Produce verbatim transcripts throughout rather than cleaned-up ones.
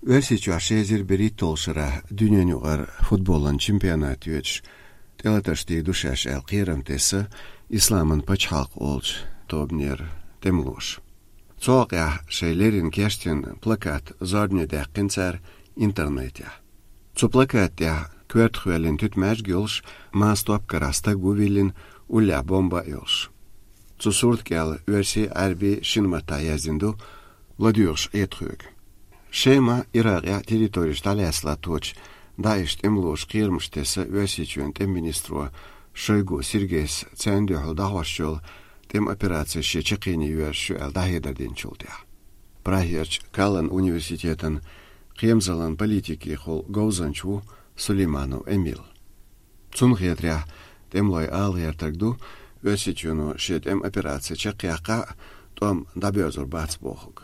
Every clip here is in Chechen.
Оьрсийчохь ши эзар берхӀитталгӀачу шарахь дуьненаюкъара футболан чемпионат йоьдуш тӀелатарш дийр ду шаьш аьлла кхерам тесна Исламан пачхьалкх олучу тобанера тӀемалоша. Цу хьокъехь шайн леррина кечдина плакат зорбане даьккхина цара интернетехь. Цу плаката тӀехь коьртах йоьллина туьтмаьжг йолуш, маса топ карахь стаг ву виллина, уллехь бомба а йолуш. Цу сурта кӀел оьрсийн, Ӏаьрбийн шина маттахь яздина ду: «ЛадоьгӀуш Ӏедалхоьга». Шема, Иракъехь территореш дӀалаьцна латточу ДАИШ тӀемалоша кхерамаш тесна Оьрсийчоьнан тӀеман министро Шойгу Сергейс царна дуьхьал дӀахьош йолу тӀеман операци шен чаккхене йоьрзуш ю аьлла дӀахьедар динчул тӀаьхьа. Прагерчу Каллан университетан кхерамзаллин политикехула говзанча ву Сулейманов Эмил. Цунна хетарехь, тӀемалойн ала гӀертарг ду, Оьрсийчоьно шен тӀеман операци чекхъяккха а, тӀом дӀабоьрзур бац бохург.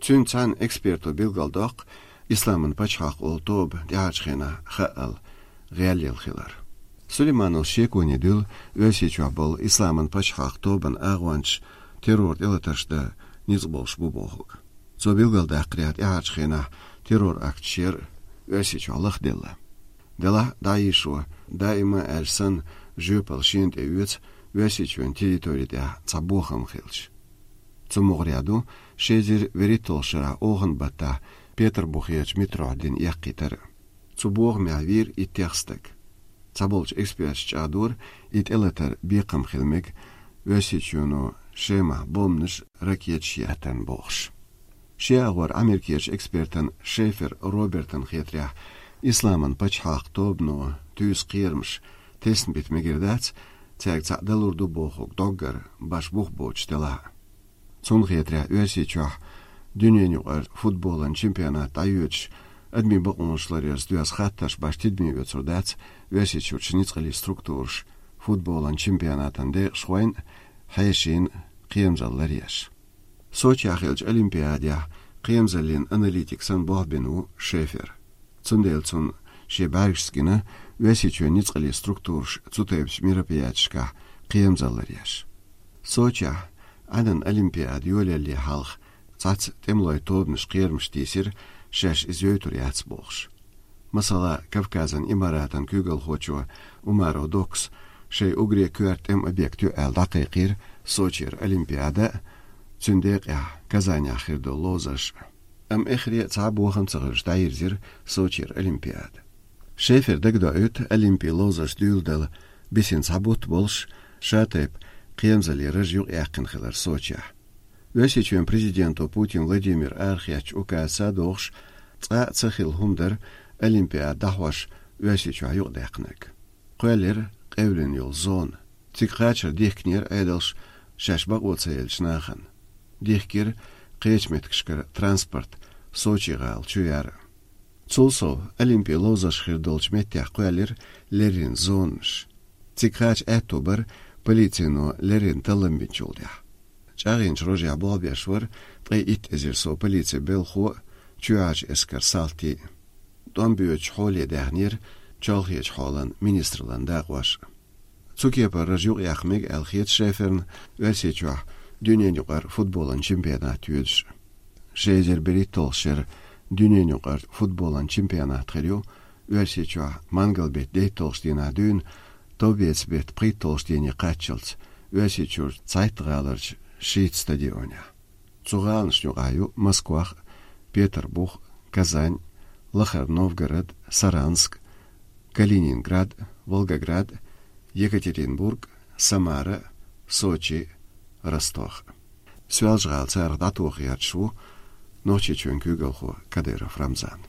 Цуьнца цхьаьна эксперто билгалдоккху Исламан пачхьалкх олу тоба тӀаьхьарчу хенахь хаъал гӀелъелла хилар. Сулеймановс шеконе дуьллу Оьрсийчохь болу Исламан пачхьалкх тобанан агӀончаш террор тӀелатарш дан ницкъ болуш бу бохург. Цо билгалдаккхарехь, тӀаьхьарчу хенахь террор акташ яра Оьрсийчохь лахделла. Делахь а ДАИШо даима аьлча санна жоьпалла шена тӀеоьцу Оьрсийчоьнан территори тӀехь цхьа бохам хилча. Цу могӀарехь ду ши эзар берхӀитталгӀачу шарахь оханан баттахь Петарбухерчу метрохь дина эккхийтар. Цу бохамехь вийра иттех стаг. Цхьаболчу эксперташа чӀагӀдора, и тӀелатар бекхам хила мега Оьрсийчоьно Шемахь бомбанаш, ракеташ еттарна бохуш. Шен агӀор Америкерчу экспертан Шефер Робертан хетарехь, Исламан пачхьалкх тобано туьйсу кхерамаш тесна бита мегар дац, цаьрга цхьаъ далур ду бохург доггар баш бух боцуш делахь а. Цунна хетарехь, Оьрсийчохь дуьненаюкъара футболан чемпионат дӀайоьдуш, адамийн бакъонаш ларъярца доьзна хаттарш баш тидаме оьцур дац Оьрсийчуьрчу ницкъаллин структураша футболан чемпионатан декъашхойн а, хьешийн а кхерамзалла ларъеш. Сочехь хиллачу Олимпиадехь кхерамзаллин аналитик санна болх бина ву Шефер. Цундела цунна шен бӀаьргашца гина Оьрсийчоьнан ницкъаллин структураша цу тайпачу мероприятешкахь кхерамзалла ларъеш. Сочехь Ӏаьнан Олимпиада йолаялале хьалха цхьацца тӀемалойн тобанаш кхерамаш тийсира шаьш иза йойтур яц бохуш. Масала, Кавказан Имаратан куьйгалхочо Умаров Доккас шайн уггаре коьрта тӀеман объект ю аьлла дӀакхайкхийра Сочера Олимпиада а, цуьнан декъехь Казанехь хир долу ловзарш а. Амма эххаре а цхьа а бохам ца хилча дӀайирзира Сочера Олимпиада. Шефера дагадоуьйту, Олимпин ловзарш дуьйладала бисина цхьа бутт болуш, шатайпа кхерамзаллин раж юкъаяьккхина хилар Сочехь. Оьрсийчоьнан президенто Путин Владимира арахецначу указаца догӀуш, цкъа а ца хилла хӀума дара Олимпиада дӀахьош Оьрсийчохь юкъадаьккхинарг. Кхоьллира къевлина йолу зона. Цига кхачар дихкинера Ӏедалш шаьш бакъо ца еллачу нахана. Дихкира кхечу меттигашкара транспорт Сочи гӀала чу яр а. Цул сов, Олимпин ловзарш хир долчу меттехь кхоьллира леррина зонаш. Цига кхача аьтто бара полицино леррина таллам бинчул тӀаьхьа. ЧӀагӀйинчу рожехь болх беш вара ткъе итт эзар сов полицин белхахо а, чоьхьарчу эскаран салтий а. ТӀом боьдучу хьоле даьхнера чолхечу хьолан министраллан дакъош а. Цу кепара раж юкъаяккха мега аьлла хета Шеферна Оьрсийчохь дуьненаюкъара футболан чемпионат йоьдуш. Ши эзар берхӀитталгӀачу шеран дуьненаюкъара футболан чемпионат хир ю Оьрсийчохь мангал-беттан дейтталгӀачу дийнахь дуьйна, товбеца-беттан пхийтталгӀачу дийне кхаччалц, Оьрсийчуьрчу цхьайттан гӀаларчу шийтта стадионехь. Цу гӀаланашна юкъахь ю Москвах а, Петарбух а, Казань а, Лахара Новгород а, Саранск а, Калининград а, Волгоград а, Екатеринбург а, Самара а, Сочи а, Ростов а. Соьлжа-ГӀала царах дӀатоха гӀерташ ву Нохчийчоьнан куьйгалхо Кадыров Рамзан.